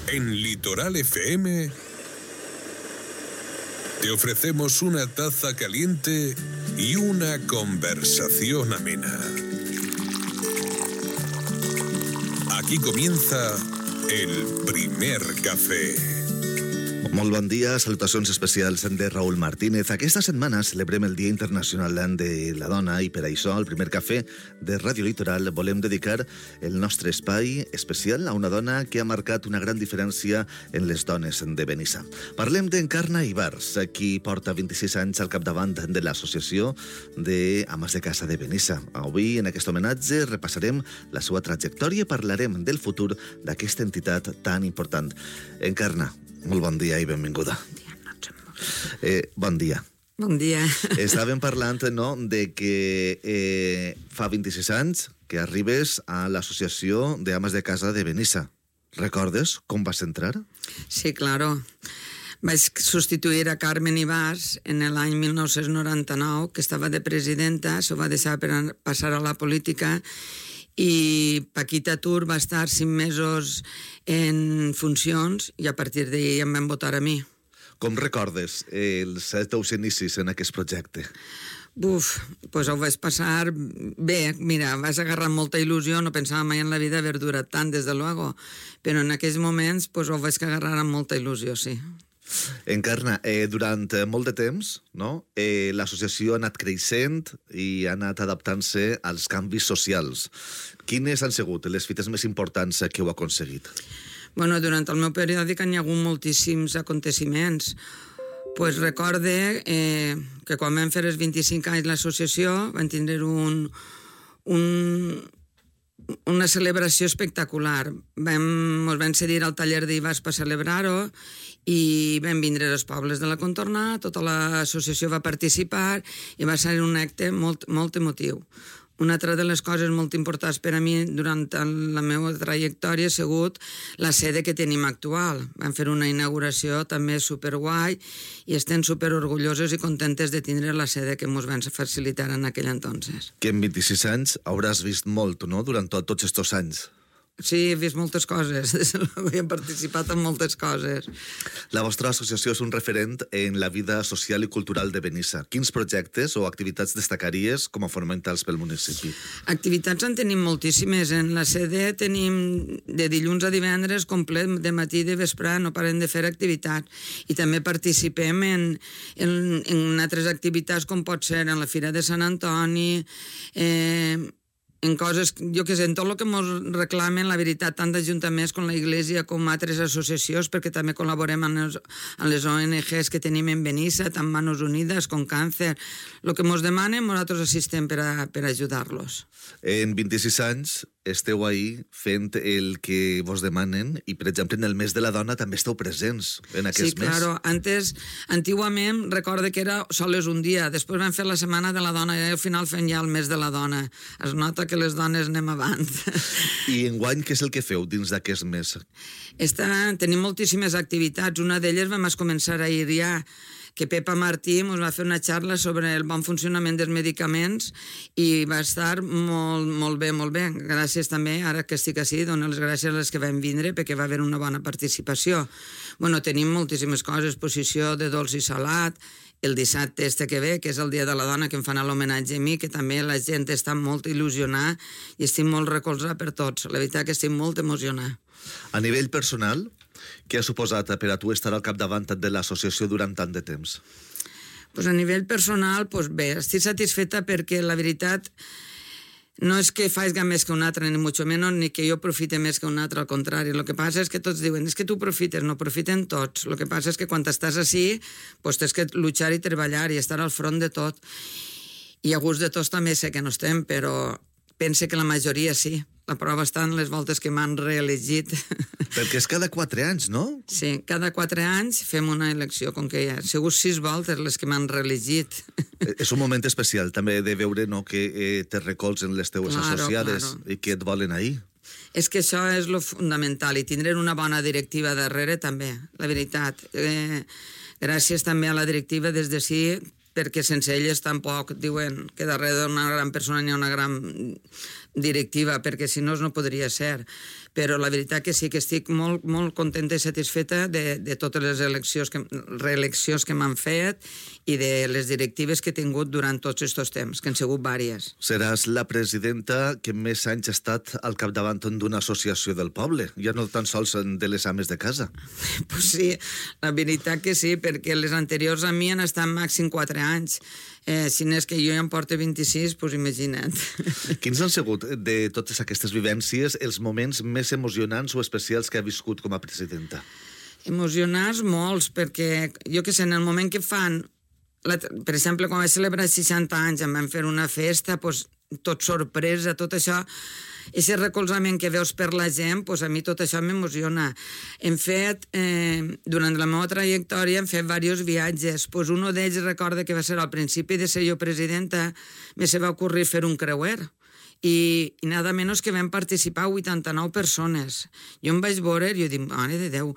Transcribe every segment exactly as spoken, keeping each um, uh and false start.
En Litoral F M te ofrecemos una taza caliente y una conversación amena. Aquí comienza el primer cafè. Molt bon dia, salutacions especials de Raúl Martínez. Aquesta setmana celebrem el Dia Internacional de la Dona i per això al primer cafè de Ràdio Litoral volem dedicar el nostre espai especial a una dona que ha marcat una gran diferència en les dones de Benissa. Parlem d'Encarna Ibars, qui porta vint-i-sis anys al capdavant de l'Associació d'Ames de Casa de Benissa. Avui, en aquest homenatge, repassarem la seva trajectòria i parlarem del futur d'aquesta entitat tan important. Encarna, molt bon dia i benvinguda. Bon dia, no et sembla. Eh, bon dia. Bon dia. Estàvem parlant, no?, de que eh, fa vint-i-sis anys que arribes a l'Associació d'Ames de Casa de Benissa. Recordes com vas entrar? Sí, claro. Vaig substituir a Carmen Ibars en l'any mil nou-cents noranta-nou, que estava de presidenta, s'ho va deixar per passar a la política, i Paquita Tur va estar cinc mesos en funcions i a partir d'ahir em van votar a mi. Com recordes els teus inicis en aquest projecte? Buf, doncs ho vaig passar bé. Mira, vas agarrar molta il·lusió, no pensava mai en la vida haver durat tant, des de luego, però en aquells moments doncs, ho vaig agarrar amb molta il·lusió, sí. Encarna, eh, durant molt de temps, no? eh, l'associació ha anat creixent i ha anat adaptant-se als canvis socials. Quines han sigut les fites més importants que heu aconseguit? Bueno, durant el meu periòdic hi ha hagut moltíssims aconteciments. Pues recorde eh, que quan vam fer els vint-i-cinc anys l'associació vam tindre un, un, una celebració espectacular. Vam, ens van cedir al taller d'Ibars per celebrar-ho i vam vindre als pobles de la contorna, tota l'associació va participar i va ser un acte molt, molt emotiu. Una altra de les coses molt importants per a mi durant la meva trajectòria ha sigut la sede que tenim actual. Vam fer una inauguració també superguai i estem superorgulloses i contentes de tindre la sede que ens van facilitar en aquell entonces. Que en vint-i-sis anys hauràs vist molt, no?, durant tot, tots aquests anys. Sí, he vist moltes coses, he participat en moltes coses. La vostra associació és un referent en la vida social i cultural de Benissa. Quins projectes o activitats destacaries com a fonamentals pel municipi? Activitats en tenim moltíssimes. En la sede tenim de dilluns a divendres complet, de matí i de vespre, no parem de fer activitats. I també participem en, en, en altres activitats com pot ser en la Fira de Sant Antoni, eh, en coses, jo què sé, en tot el que ens reclamen, la veritat, tant d'ajuntaments com la Iglesia com altres associacions, perquè també col·laborem amb les, amb les O N Ges que tenim en Benissa, tant Manos Unides com Càncer. El que ens demanen, nosaltres assistem per, a, per ajudar-los. En vint-i-sis anys esteu ahí fent el que vos demanen i, per exemple, en el mes de la dona també esteu presents en aquest sí, mes. Sí, claro. Antes, antiguament, recorde que era sols un dia. Després vam fer la Setmana de la Dona i al final fem ja el mes de la dona. Es nota que les dones anem avant. I enguany, què és el que feu dins d'aquest mes? Esta, tenim moltíssimes activitats. Una d'elles vam començar ahir ja, que Pepa Martí ens va fer una xarra sobre el bon funcionament dels medicaments i va estar molt, molt bé, molt bé. Gràcies també, ara que estic així, dono les gràcies a les que van vindre perquè va haver una bona participació. Bueno, tenim moltíssimes coses, exposició de dolç i salat, el dissabte este que ve, que és el Dia de la Dona, que em fan l'homenatge a mi, que també la gent està molt il·lusionada i estic molt recolzada per tots. La veritat que estic molt emocionada. A nivell personal, què ha suposat per a tu estar al capdavant de l'associació durant tant de temps? Pues a nivell personal, pues bé, estic satisfeta perquè la veritat no és que faig més que un altre, ni mucho menos, ni que jo profite més que un altre, al contrari. El que passa és que tots diuen, és que tu profites, no profiten tots. El que passa és que quan estàs així, pues tens que luchar i treballar i estar al front de tot. I a gust de tots també sé que no estem, però pense que la majoria sí. La prova està en les voltes que m'han reelegit. Perquè és cada quatre anys, no? Sí, cada quatre anys fem una elecció, com que hi ha segur sis voltes les que m'han reelegit. És un moment especial també de veure, no, que eh, te recolzen les teues claro, associades claro. i que et volen ahir. És que això és lo fundamental, i tindre una bona directiva darrere també, la veritat. Eh, gràcies també a la directiva des de sí, perquè sense elles tampoc diuen que darrere d'una gran persona hi ha una gran directiva, perquè si no no podria ser. Però la veritat que sí que estic molt, molt contenta i satisfeta de, de totes les eleccions que, reeleccions que m'han fet i de les directives que he tingut durant tots aquests temps, que han sigut vàries. Seràs la presidenta que més anys ha estat al capdavant d'una associació del poble, ja no tan sols de les ames de casa. Pues sí, la veritat que sí, perquè les anteriors a mi han estat màxim quatre anys. Eh, si n'és que jo ja em porto vint-i-sis, doncs imagina't. Quins han sigut, de totes aquestes vivències, els moments més emocionants o especials que ha viscut com a presidenta? Emocionants molts, perquè jo que sé, en el moment que fan, la, per exemple, quan vaig celebrar seixanta anys, em van fer una festa, doncs, tot sorpresa, tot això, aquest recolzament que veus per la gent, doncs a mi tot això m'emociona. Hem fet, eh, durant la meva trajectòria, hem fet diversos viatges. Doncs un d'ells recorda que va ser al principi de ser jo presidenta, me se va ocorrir fer un creuer. I, i nada menys que vam participar vuitanta-nou persones. Jo em vaig veure i jo dic, mare de Déu,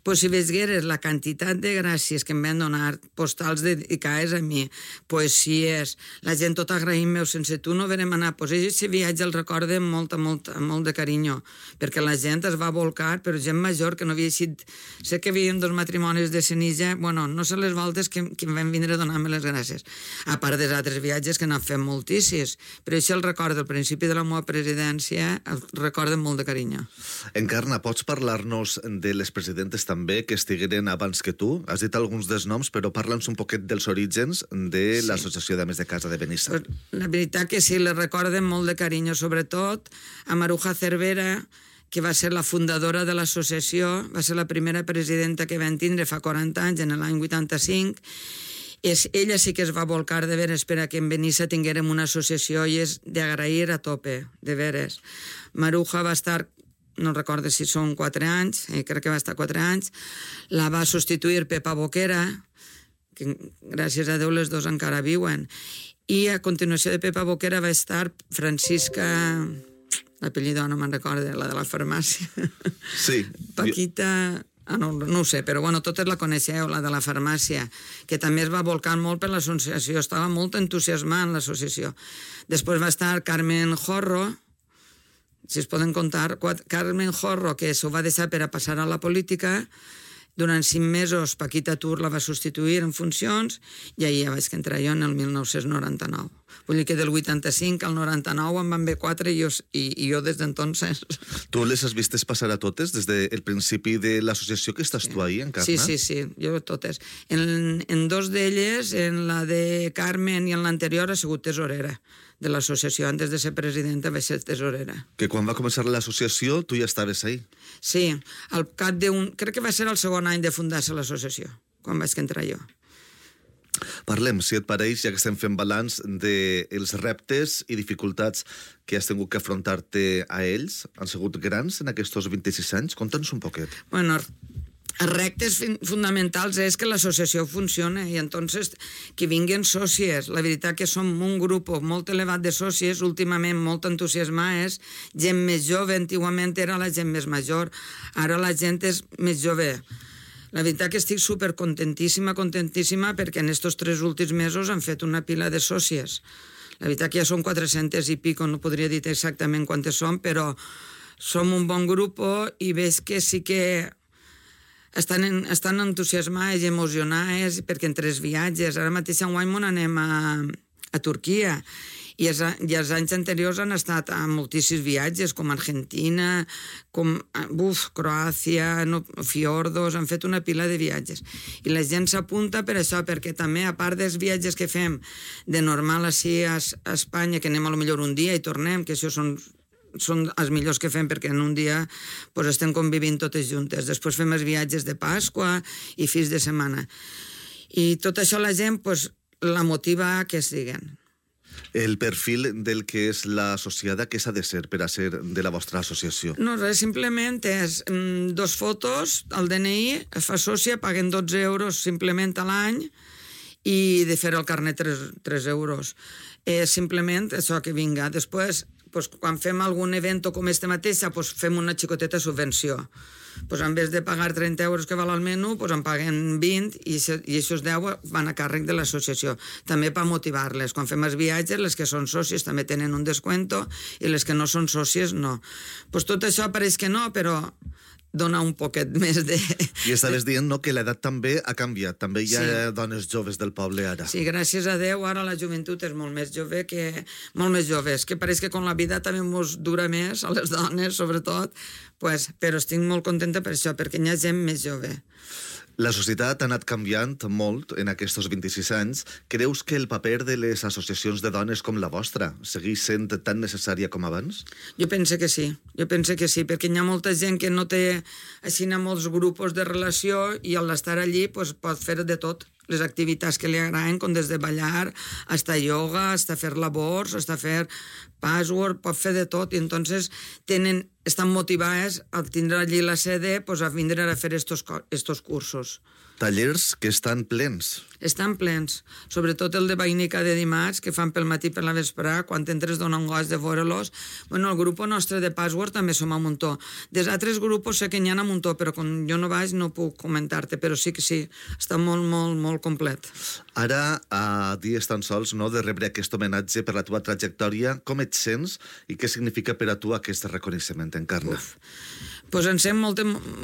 pues si veigueres la quantitat de gràcies que em van donar, postals dedicades a mi, poesies, la gent tot agraïm-me, sense tu no verem anar. Pues aquest viatge el recordo amb molt, molt, molt de carinyo, perquè la gent es va volcar, però gent major que no havia eixit... Sé que havíem dos matrimonis de Senija, bueno, no sé les voltes que, que em van vindre a donar-me les gràcies. A part dels altres viatges que n'han fet moltíssims, però això el recordo al principi de la meva presidència, el recordo molt de carinyo. Encarna, pots parlar-nos de les presidentes també que estigueren abans que tu? Has dit alguns dels noms, però parla'ns un poquet dels orígens de sí. l'Associació d'Ames de Casa de Benissa. La veritat que sí, les recorden molt de carinyo, sobretot a Maruja Cervera, que va ser la fundadora de l'associació, va ser la primera presidenta que van tindre fa quaranta anys, en l'any vuitanta-cinc. És, ella sí que es va volcar de veres per a que en Benissa tinguérem una associació i és d'agrair a tope, de veres. Maruja va estar, no recordo si són quatre anys, eh, crec que va estar quatre anys, la va substituir Pepa Boquera, que gràcies a Déu les dos encara viuen, i a continuació de Pepa Boquera va estar Francisca... L'apellido no me'n recordo, la de la farmàcia. Sí. Paquita... Ah, no, no ho sé, però bueno, totes la coneixeu, la de la farmàcia, que també es va volcar molt per l'associació, estava molt entusiasmada en l'associació. Després va estar Carmen Jorro, si es poden contar, Carmen Jorro, que s'ho va deixar per a passar a la política. Durant cinc mesos Paquita Tur la va substituir en funcions i ahir ja vaig entrar jo en el mil nou-cents noranta-nou. Vull dir que del vuitanta-cinc al noranta-nou em van ve quatre i jo, i, i jo des d'entonces... Tu les has vistes passar a totes des del principi de l'associació que estàs tu ahir, Encarna? Sí, sí, sí, jo totes. En, en dos d'elles, en la de Carmen i en l'anterior, ha sigut tesorera de l'associació. Antes de ser presidenta vaig ser tesorera. Que quan va començar l'associació tu ja estaves ahí? Sí, al cap d'un... Crec que va ser el segon any de fundar-se l'associació, quan vaig entrar jo. Parlem, si et pareix, ja que estem fent balanç dels reptes i dificultats que has tingut que afrontar-te a ells. Han sigut grans en aquests vint-i-sis anys? Conta'ns un poquet. Bueno, els reptes fonamentals és que l'associació funciona i entonces que vinguin sòcies. La veritat que som un grup molt elevat de sòcies, últimament molt entusiasmats, gent més jove, antigament era la gent més major, ara la gent és més jove. La veritat que estic supercontentíssima, contentíssima, perquè en aquests tres últims mesos han fet una pila de sòcies. La veritat que ja són quatre-centes i pico, no podria dir exactament quantes són, però som un bon grup i veig que sí que estan, en, estan entusiasmats i emocionats perquè en tres viatges. Ara mateix en guany anem a, a Turquia i els, i els anys anteriors han estat a moltíssims viatges, com Argentina, com uf, Croàcia, no, Fiordos, han fet una pila de viatges. I la gent s'apunta per això, perquè també, a part dels viatges que fem de normal així a, a Espanya, que anem a lo millor un dia i tornem, que això són són els millors que fem perquè en un dia pues, estem convivint totes juntes. Després fem els viatges de Pasqua i fins de setmana. I tot això la gent pues, la motiva a que es diguen. El perfil del que és l'associada, què s'ha de ser per a ser de la vostra associació? No, res, simplement és mm, dos fotos, el D N I, es fa sòcia, paguen dotze euros simplement a l'any i de fer el carnet tres euros. Eh, simplement això que vinga. Després, pues, quan fem algun event com este mateix, pues, fem una xicoteta subvenció. Pues, en vez de pagar trenta euros que val el menú, pues, en paguen vint i, i aquests deu van a càrrec de l'associació. També per motivar-les. Quan fem els viatges, les que són socis també tenen un descuento i les que no són socis no. Pues, tot això pareix que no, però dona un poquet més de... I estaves dient, no?, que l'edat també ha canviat. També hi ha Sí. dones joves del poble ara. Sí, gràcies a Déu, ara la joventut és molt més jove que... molt més joves, que pareix que con la vida també ens dura més, a les dones, sobretot, pues, però estic molt contenta per això, perquè hi ha gent més jove. La societat ha anat canviant molt en aquests vint-i-sis anys. Creus que el paper de les associacions de dones com la vostra segueix sent tan necessària com abans? Jo penso que sí, jo penso que sí, perquè hi ha molta gent que no té així molts grups de relació i al estar allí pues, pot fer de tot, les activitats que li agraden, com des de ballar, hasta yoga, hasta fer labors, hasta fer password, pot fer de tot, i entonces tenen, estan motivades a tindre allí la sede pues, a vindre a fer estos, estos cursos. Tallers que estan plens. Estan plens, sobretot el de Vainica de dimarts, que fan pel matí per la vesprà, quan entres dona un goig de veure-los. Bueno, el grup nostre de Password també som a muntó. Des altres grups sé que n'hi ha a muntó, però quan jo no vaig no puc comentar-te, però sí que sí, està molt, molt, molt complet. Ara, a dies tan sols no, de rebre aquest homenatge per la teva trajectòria, com et sents i què significa per a tu aquest reconeixement, Encarna? Uf. Pues em sent molt,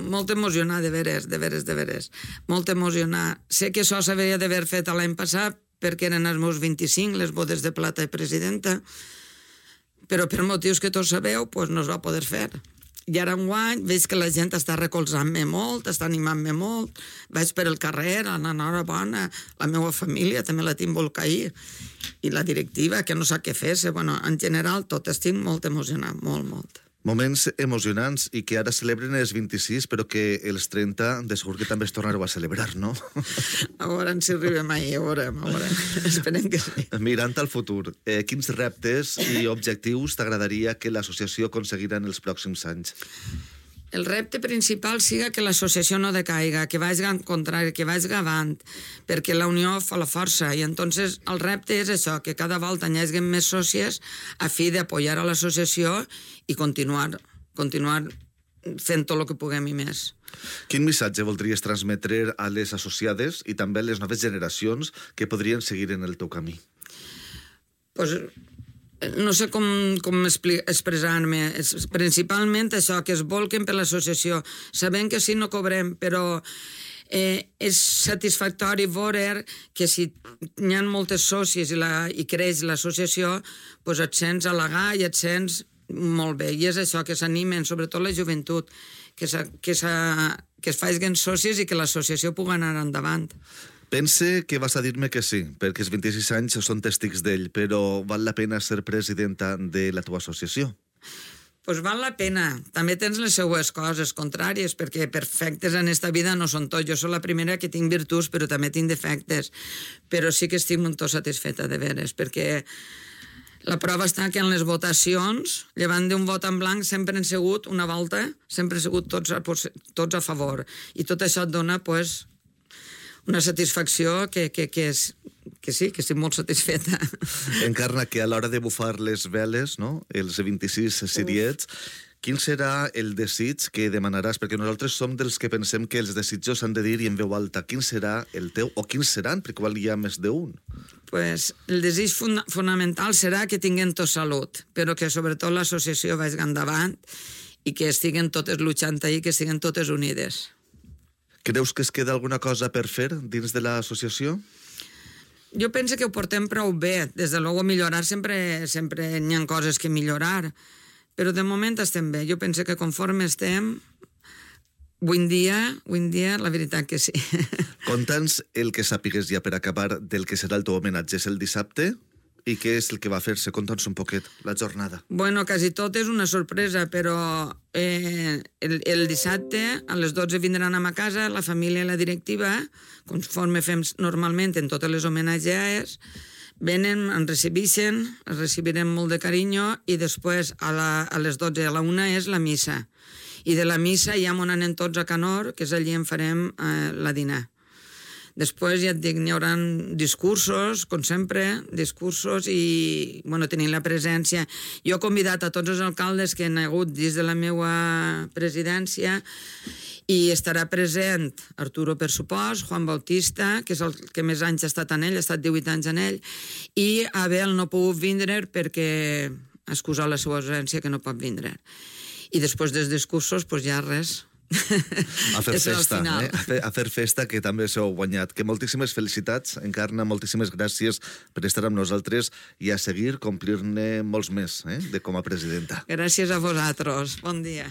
molt emocionada, de veres, de veres, de veres. Molt emocionada. Sé que això s'hauria d'haver fet l'any passat perquè eren els meus vint-i-cinc, les bodes de plata de presidenta, però per motius que tots sabeu, pues no es va poder fer. I ara enguany veig que la gent està recolzant-me molt, està animant-me molt, vaig per el carrer, enhorabona, la meva família també la tinc molt cair, i la directiva, que no sap què fer-se. Bueno, en general, tot estic molt emocionat, molt, molt. Moments emocionants i que ara celebren els vint-i-sis, però que els trenta de segur que també es tornareu a celebrar, no? A veure si arribem ahir, a veure, a veure. Esperem que sí. Mirant al futur, eh, quins reptes i objectius t'agradaria que l'associació aconseguirà en els pròxims anys? El repte principal siga que l'associació no decaiga, que vagi en contrari, que vagi avant, perquè la unió fa la força, i entonces el repte és això, que cada volta hi hagi més sòcies a fi d'apoyar a l'associació i continuar, continuar fent tot el que puguem i més. Quin missatge voldries transmetre a les associades i també a les noves generacions que podrien seguir en el teu camí? Pues, no sé com, com expressar-me. Principalment això, que es volquen per l'associació. Sabem que sí no cobrem, però eh, és satisfactori veure que si hi ha moltes sòcies i, la, i creix l'associació, pues et sents halagar i et sents molt bé. I és això, que s'animen, sobretot la joventut, que, que, que es facin sòcies i que l'associació pugui anar endavant. Pense que vas a dir-me que sí, perquè els vint-i-sis anys són tèstics d'ell, però val la pena ser presidenta de la teva associació? Pues val la pena. També tens les seues coses contràries, perquè perfectes en esta vida no són tot. Jo soc la primera que tinc virtuts, però també tinc defectes. Però sí que estic molt satisfeta, de veres, perquè la prova està que en les votacions, llevant d'un vot en blanc, sempre han sigut una volta, sempre han sigut tots a, tots a favor. I tot això et dona, pues, una satisfacció que, que, que, és, que sí, que estic molt satisfeta. Encarna, que a l'hora de bufar les veles, no?, els vint-i-sis siriets, quin serà el desig que demanaràs? Perquè nosaltres som dels que pensem que els desitjos s'han de dir i en veu alta. Quin serà el teu? O quins seran? Perquè igual hi ha més d'un. Pues, el desig fun fonamental serà que tinguem tot salut, però que sobretot l'associació vagi endavant i que estiguen totes lluitant ahí, que estiguen totes unides. Creus que es queda alguna cosa per fer dins de l'associació? Jo penso que ho portem prou bé. Des de luego millorar sempre, sempre n'hi ha coses que millorar, però de moment estem bé. Jo penso que conforme estem, avui en dia, avui en dia, la veritat que sí. Conta'ns el que sàpigues ja per acabar del que serà el teu homenatge. És el dissabte? I què és el que va fer-se? Conta'ns un poquet la jornada. Bueno, quasi tot és una sorpresa, però eh, el, el dissabte a les dotze vindran a ma casa la família i la directiva, conforme fem normalment en totes les homenatges, venen, ens recibeixen, ens recibirem molt de carinyo i després a, la, a les dotze a la una és la missa. I de la missa ja m'on anem tots a Canor, que és allí on farem eh, la dinar. Després, ja et dic, n'hi haurà discursos, com sempre, discursos i, bueno, tenint la presència. Jo he convidat a tots els alcaldes que han hagut dins de la meva presidència i estarà present Arturo, per supost, Juan Bautista, que és el que més anys ha estat en ell, ha estat divuit anys en ell, i Abel no ha pogut vindre perquè ha excusat la seva ausència, que no pot vindre. I després dels discursos, doncs ja res. A fer festa, eh? a, fer, a fer festa, que també s'heu guanyat. Que moltíssimes felicitats, Encarna, moltíssimes gràcies per estar amb nosaltres i a seguir complir-ne molts més, eh? de com a presidenta. Gràcies a vosaltres. Bon dia.